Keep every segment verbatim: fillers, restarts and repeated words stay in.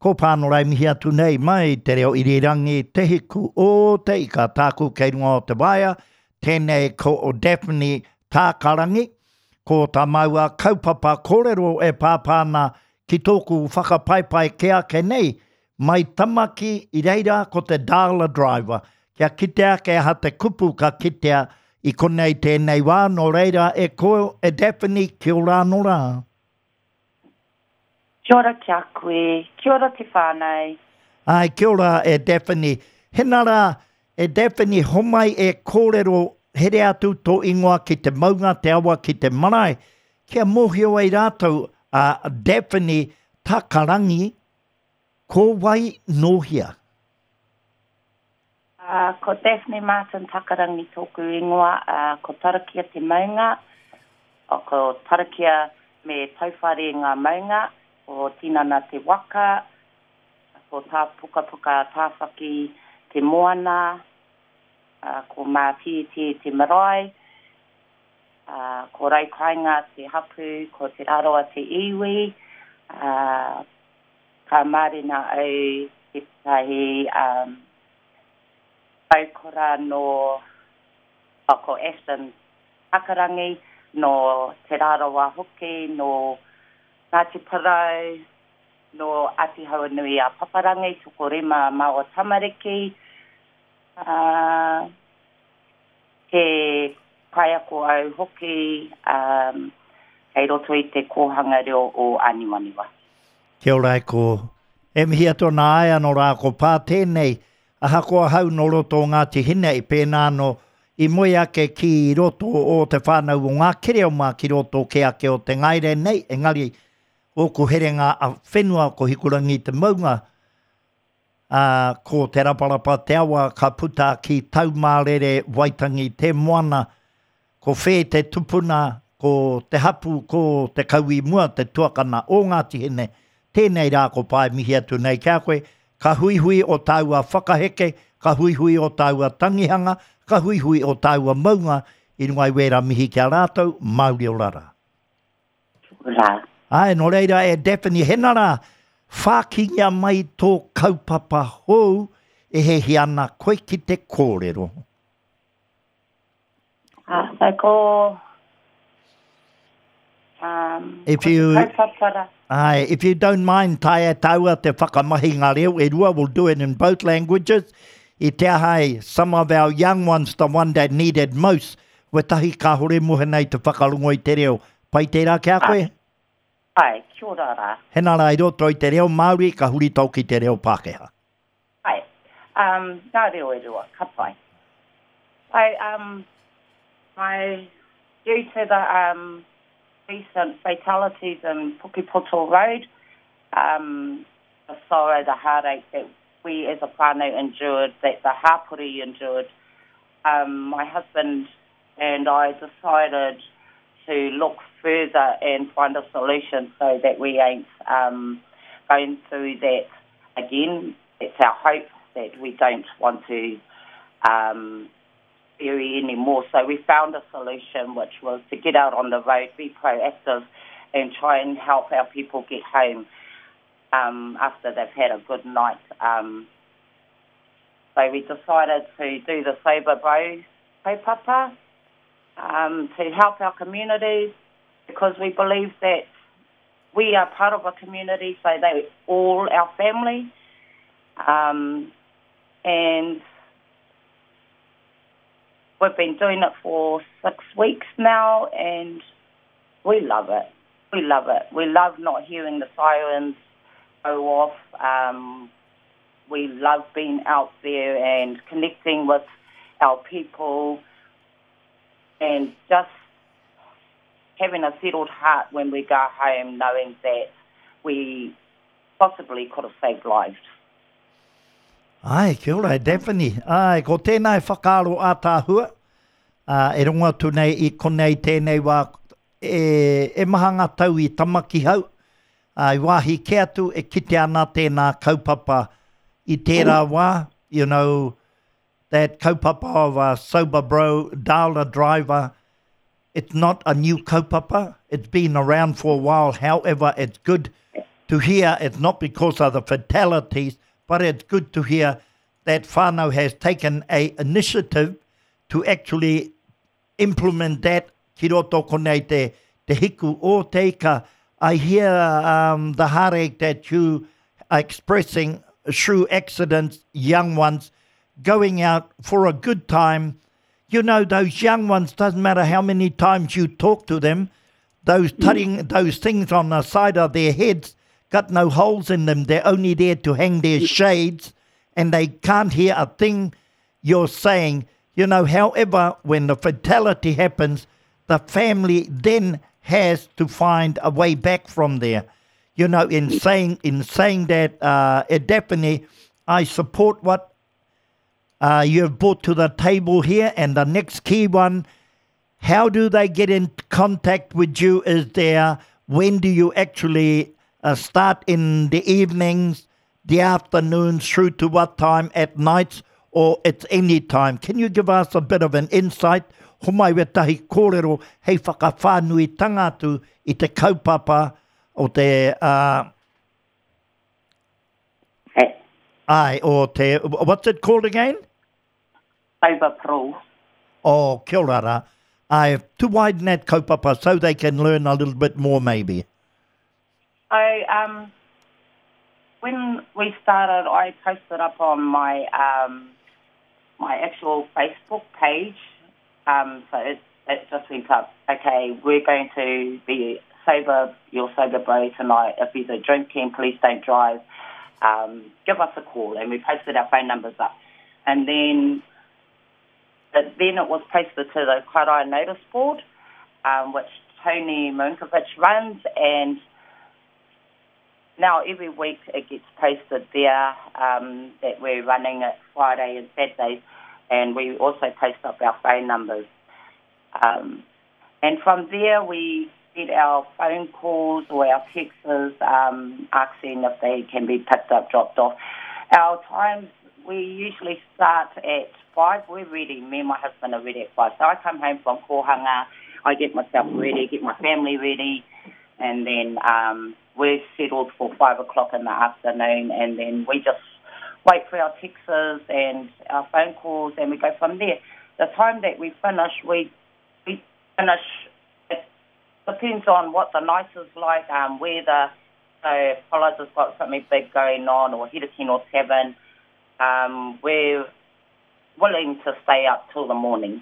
Ko Pānora e mihi atu nei mai te reo irirangi Te Hiku o Te Ika tāku kei runga o te waea, tēnei ko Daphne Tākarangi, ko tā māua kaupapa kōrero e pāpā ana ki tōku whakapaipai ke ake nei, mai Tamaki i reira ko te Dial a Driver, kia kite ake aha te kupu ka kitea i konei tēnei wā, nō reira e ko e Daphne, kia ora anō rā. Kia ora ki a koe, kia ora te whānau. Ai, kia ora e Daphne. Hena rā, e Daphne, homai e kōrero here atu tō ingoa ki te maunga, te awa, ki te marae, kia mōhio ai rātou a Daphne Takarangi, ko wai nōhia? Uh, ko Daphne Martin Takarangi tōku ingoa, uh, ko Tarakia te maunga, ko Tarakia me Tauwhare ngā maunga, ko Tinana te waka, ko tā pukapuka tāwhaki te moana, uh, ko Mātītī te marae, uh, ko Raukainga te hapu, ko Te Rarawa te iwi, uh, ka mārena au tētahi um, aukora no oh, ko Ashton Takarangi, no Te Rarawa hoki, no Ngāti Porou, no Āti Hauanui a Paparangi, tokorima māua tamariki, uh, he kaiako au hoki um, kei roto i te kōhanga reo o Āniwaniwa. Kia ora e ko. E mihi atu ana ai anō rā ko pā tēnei, ahakoa hau no roto o Ngāti Hine i pēnā anō i moe ake ki roto o te whānau o ngā kereoma ki roto ke ake o te ngaere nei, engari ōku herenga a whenua ko Hikurangi te maunga, uh, ko Te Raparapa te awa ka puta ki Taumārere Waitangi te moana, ko Whē te tupuna, ko te hapu, ko te kaui mua, te tuakana o Ngāti Hine, tēnei rā ko pae mihi atu nei kia koe, ka huihui o tāua whakaheke, ka huihui o tāua tangihanga, ka huihui o tāua maunga, i runga i wērā mihi kia rātou, mauri ora rā. Rā. Ai, nō reira e Daphne, hena rā, whākingia mai tō kaupapa hou e hehi ana koe ki te kōrero. Ah, so ko... Um, if you, aye, if you don't mind, taea tāua te whakamahi ngā reo, e rua, we'll do it in both languages. I te ahai, some of our young ones, the one that needed most, wetahi kāhore mohe nei te whakarongo i te reo. Pai tērā kia koe? Ai, kia ora rā. Hena rā i roto i te reo Māori, ka huri tau ki te reo Pākehā. Ai, um, ngā reo e rua, ka pai. I, um, my, due to the um, recent fatalities in Pukepoto Road, um, the sorrow, the heartache that we as a whānau endured, that the hapori endured, um, my husband and I decided to look further and find a solution so that we ain't um, going through that again. It's our hope that we don't want to um, bury anymore. So we found a solution, which was to get out on the road, be proactive and try and help our people get home um, after they've had a good night. Um, so we decided to do the Sober Bro kaupapa, um, to help our communities, because we believe that we are part of a community, so they all our family. Um, and we've been doing it for six weeks now, and we love it. We love it. We love not hearing the sirens go off. Um, we love being out there and connecting with our people and just having a settled heart when we go home, knowing that we possibly could have saved lives. Ai, kia ora, Daphne. Ai, ko tēnā e whakaaro ātāhua, uh, e rongo atu nei i konei tēnei wā, e, e maha ngā tau i Tamaki hau, uh, i wāhi ke atu e kite ana tēnā kaupapa i tērā wā, you know, that kaupapa of a sober bro, dial a driver, it's not a new kaupapa. It's been around for a while. However, it's good to hear it's not because of the fatalities, but it's good to hear that whānau has taken a initiative to actually implement that ki roto konei te, te hiku o te ika. I hear um, the heartache that you are expressing through accidents, young ones, going out for a good time. You know, those young ones, doesn't matter how many times you talk to them, those tutting, those things on the side of their heads got no holes in them. They're only there to hang their shades, and they can't hear a thing you're saying. You know, however, when the fatality happens, the family then has to find a way back from there. You know, in saying in saying that, uh, Daphne, I support what uh, you've brought to the table here. And the next key one, how do they get in contact with you? Is there, when do you actually uh, start in the evenings, the afternoons, through to what time at nights, or it's any time? Can you give us a bit of an insight? Homai wetahi kōrero hei whakawhānui tangatu i te kaupapa o te... Uh, hey. Ai, o te... What's it called again? Sober Pro. Oh, kia ora rā. I to widen that kaupapa so they can learn a little bit more maybe. I, um, when we started, I posted up on my, um, my actual Facebook page. Um, so it, it just went up, okay, we're going to be sober, your sober bro tonight. If you're drinking, please don't drive. Um, give us a call. And we posted our phone numbers up. And then, then it was posted to the Kaitaia Notice Board, um, which Tony Marinkovic runs. And now every week it gets posted there, um, that we're running it Friday and Saturdays. And we also post up our phone numbers. Um, and from there we get our phone calls or our texts, um, asking if they can be picked up, dropped off. Our times, we usually start at five. We're ready. Me and my husband are ready at five. So I come home from kōhanga, I get myself ready, get my family ready, and then um, we're settled for five o'clock in the afternoon, and then we just wait for our texts and our phone calls, and we go from there. The time that we finish, we we finish, it depends on what the night is like, um, weather. So if Pollard's has got something big going on, or Herekino Tavern, um, we're willing to stay up till the morning,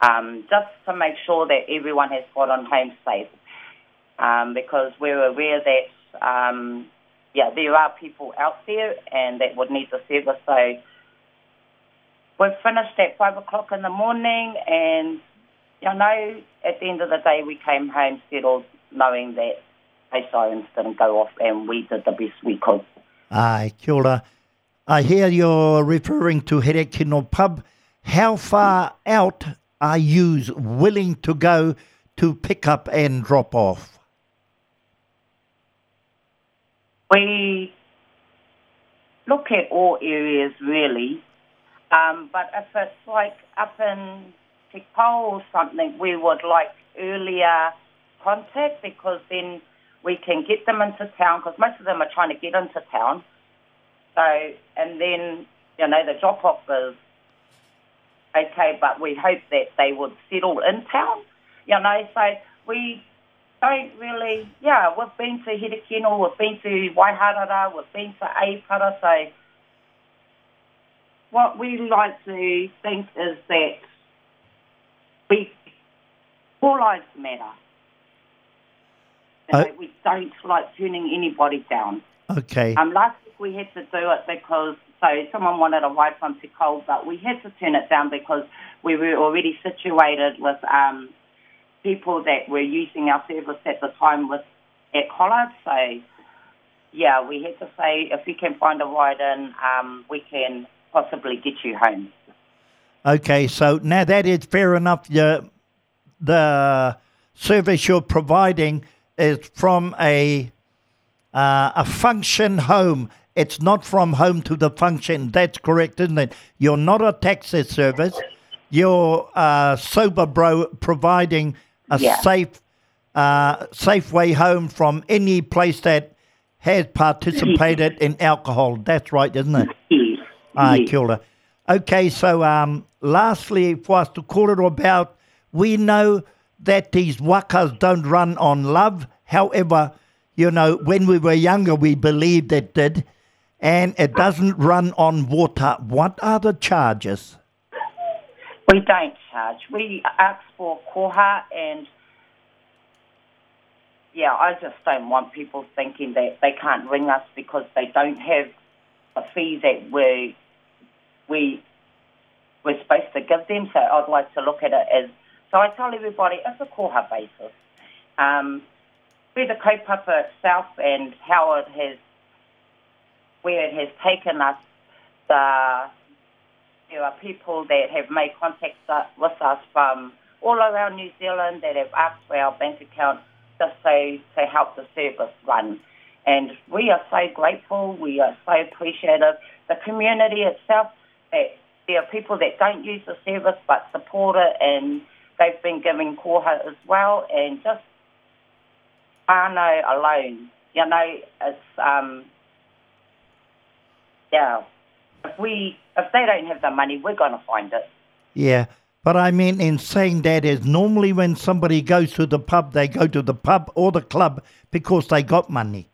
um, just to make sure that everyone has got on home safe, um, because we're aware that, um, yeah, there are people out there and that would need the service. So we've finished at five o'clock in the morning, and, you know, at the end of the day we came home settled knowing that the sirens didn't go off and we did the best we could. Aye, kia ora. I hear you're referring to Herekino Pub. How far out are you willing to go to pick up and drop off? We look at all areas, really. Um, but if it's like up in Te Pao or something, we would like earlier contact, because then we can get them into town, because most of them are trying to get into town. So, and then, you know, the drop-off is okay, but we hope that they would settle in town, you know. So we don't really, yeah, we've been to Herekino, we've been to Waiharara, we've been to Aipara, so what we like to think is that we, all lives matter. Uh, we don't like turning anybody down. Okay. Um, last week we had to do it because, so someone wanted a ride from Te Kao, but we had to turn it down because we were already situated with um, people that were using our service at the time with at Collard. So, yeah, we had to say if you can find a ride in, um, we can possibly get you home. Okay, so now that is fair enough. The, the service you're providing is from a uh, a function home. It's not from home to the function. That's correct, isn't it? You're not a taxi service. You're uh, Sober Bro providing a yeah. safe, uh, safe way home from any place that has participated in alcohol. That's right, isn't it? Yes. Ai, yes. kia ora. Okay, so um, lastly, for us to kōrero about, we know that these wakas don't run on love. However, you know, when we were younger, we believed it did. And it doesn't run on water. What are the charges? We don't charge. We ask for koha and, yeah, I just don't want people thinking that they can't ring us because they don't have the fee that we, we, we're supposed to give them. So I'd like to look at it as, so I tell everybody it's a koha basis. Um, where the kaupapa itself and how it has, where it has taken us, the, there are people that have made contact with us from all around New Zealand that have asked for our bank account just so to help the service run. And we are so grateful, we are so appreciative. The community itself, that there are people that don't use the service but support it, and they've been giving koha as well, and just whānau alone. You know, it's, um, yeah, if we, if they don't have the money, we're gonna find it. Yeah, but I mean, in saying that is normally when somebody goes to the pub, they go to the pub or the club because they got money.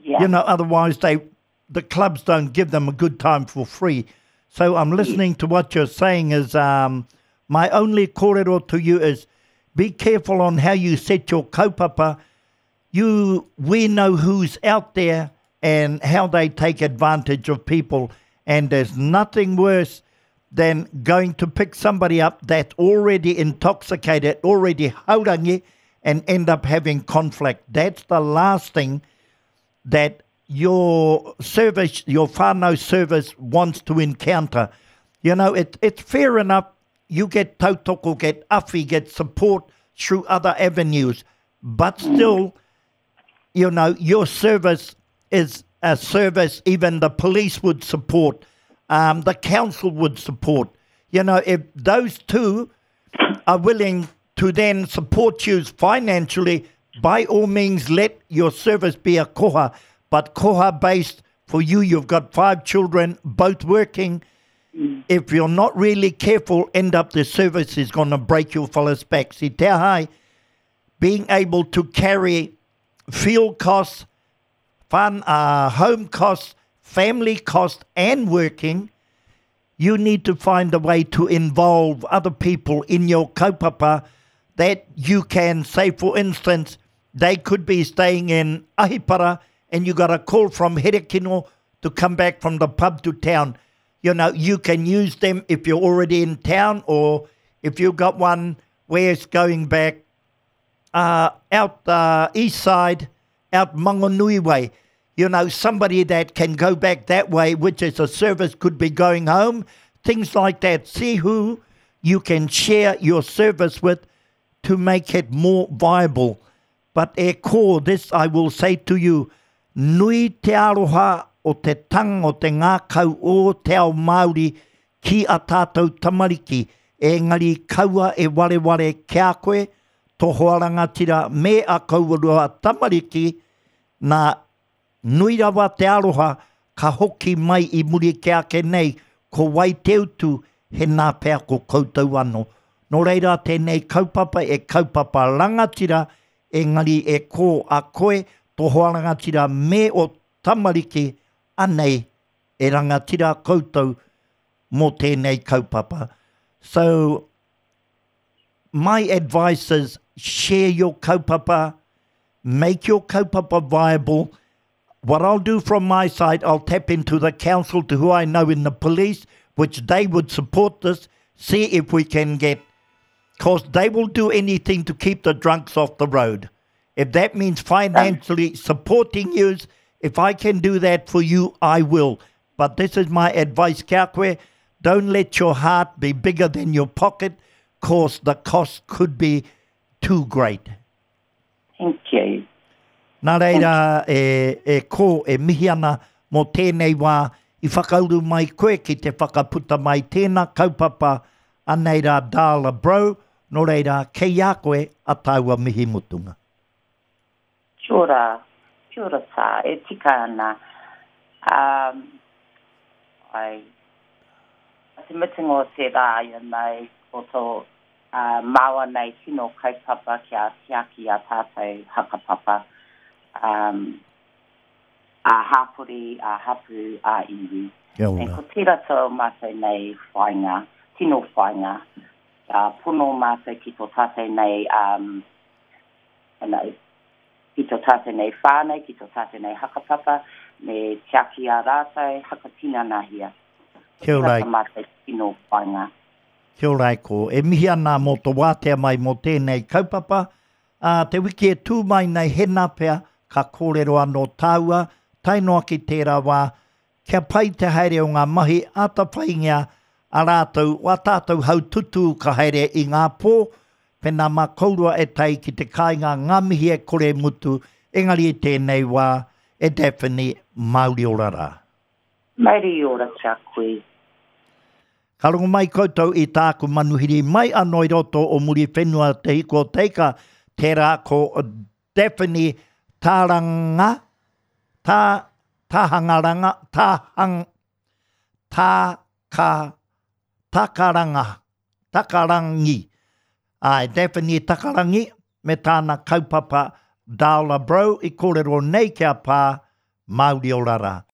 Yeah. You know, otherwise they, the clubs don't give them a good time for free. So I'm listening to what you're saying is, um, my only kōrero to you is be careful on how you set your kaupapa. You, we know who's out there and how they take advantage of people. And there's nothing worse than going to pick somebody up that's already intoxicated, already haurangi, and end up having conflict. That's the last thing that your service, your whānau service wants to encounter. You know, it, it's fair enough. You get tautoko, get awhi, get support through other avenues. But still, you know, your service is a service even the police would support, um, the council would support. You know, if those two are willing to then support you financially, by all means, let your service be a koha. But koha based for you, you've got five children, both working. Mm. If you're not really careful, end up the service is gonna break your fella's back. See, te hai, being able to carry fuel costs, fun, uh, home costs, family costs, and working, you need to find a way to involve other people in your kaupapa that you can say, for instance, they could be staying in Ahipara and you got a call from Herekino to come back from the pub to town. You know, you can use them if you're already in town, or if you've got one where it's going back, uh, out the east side, out Mangonui way. You know, somebody that can go back that way, which is a service, could be going home, things like that. See who you can share your service with to make it more viable. But e ko, this I will say to you, nui te aroha o te tang o te ngākau o te ao Māori ki a tātou tamariki, engari kaua e wareware kia koe, tō hoa rangatira me a kauarua tamariki, nā nui rawa te aroha ka hoki mai i muri ke ake nei, ko wai te utu he nā pea ko koutou anō. Nō reira tēnei kaupapa e kaupapa rangatira, engari e ko a koe, tō hoa rangatira me o tamariki, anei e rangatira koutou mō tēnei kaupapa. So, my advice is share your kaupapa, make your kaupapa viable. What I'll do from my side, I'll tap into the council to who I know in the police, which they would support this, see if we can get, 'cause they will do anything to keep the drunks off the road. If that means financially supporting you, if I can do that for you, I will. But this is my advice, kia koe. Don't let your heart be bigger than your pocket, 'cause the cost could be too great. Thank you. Nā reira, e, e ko, e mihi ana mō tēnei wā, i whakauru mai koe ki te whakaputa mai tēnā kaupapa anei rā Darla Bro, nō reira, kei a koe a tāua mihi mutunga. Kia ora. Kia Kia ora tā, e tika ana. Um, ai, te mutunga o te rā, you know, ko tō uh, māua nei tino kaupapa kia tiaki a tātou hakapapa. Um, a hapori, a hapu, a iwi. Kia E ora. ko tērā tō mātou nei whainga, tino whainga. Kia pono mātou ki tō tātou nei, um, you know, ki tō tātou nei whānau, ki tō tātou nei hakapapa, me tiaki a rātou, hakatinanahia. Kia ora. Tērā tā mātou tino whainga. Kia ora e ko. E mihi ana mō tō wātea mai mō tēnei kaupapa. Ā, te wiki e tū mai nei hena pea, ka kōrero anō tāua, tae noa ki tērā wā, kia pai te haere o ngā mahi ātawhaingia a rātou, wā tātou haututū ka haere i ngā pō, pēnā mā kourua e tae ki te kāinga ngā mihi e kore mutu, engari i tēnei wā, e Daphne, mauri ora rā. Mauri ora kia koe. Ka rongo mai koutou i tāku manuhiri mai anō i roto o Muriwhenua Te Hiku o Teika, tērā ko Daphne Taranga, tā, tāhangaranga, tāhang, tā, ka, takaranga, takarangi. Ai, Daphne Takarangi me tāna kaupapa Dala Bro i kōrero nei kia pā, mauri ora rā.